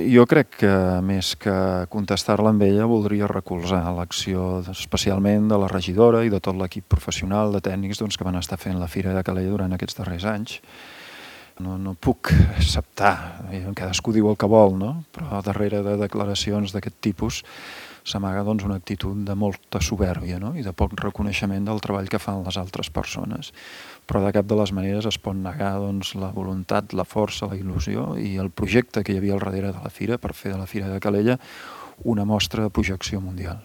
Jo crec que més que contestar-la amb ella voldria recolzar l'acció especialment de la regidora i de tot l'equip professional de tècnics que van estar fent la Fira de Calella durant aquests darrers anys. No puc acceptar, cadascú diu el que vol, no? Però darrere de declaracions d'aquest tipus s'amaga una actitud de molta supèrbia, no? I de poc reconeixement del treball que fan les altres persones. Però de cap de les maneres es pot negar la voluntat, la força, la il·lusió i el projecte que hi havia al darrere de la Fira per fer de la Fira de Calella una mostra de projecció mundial.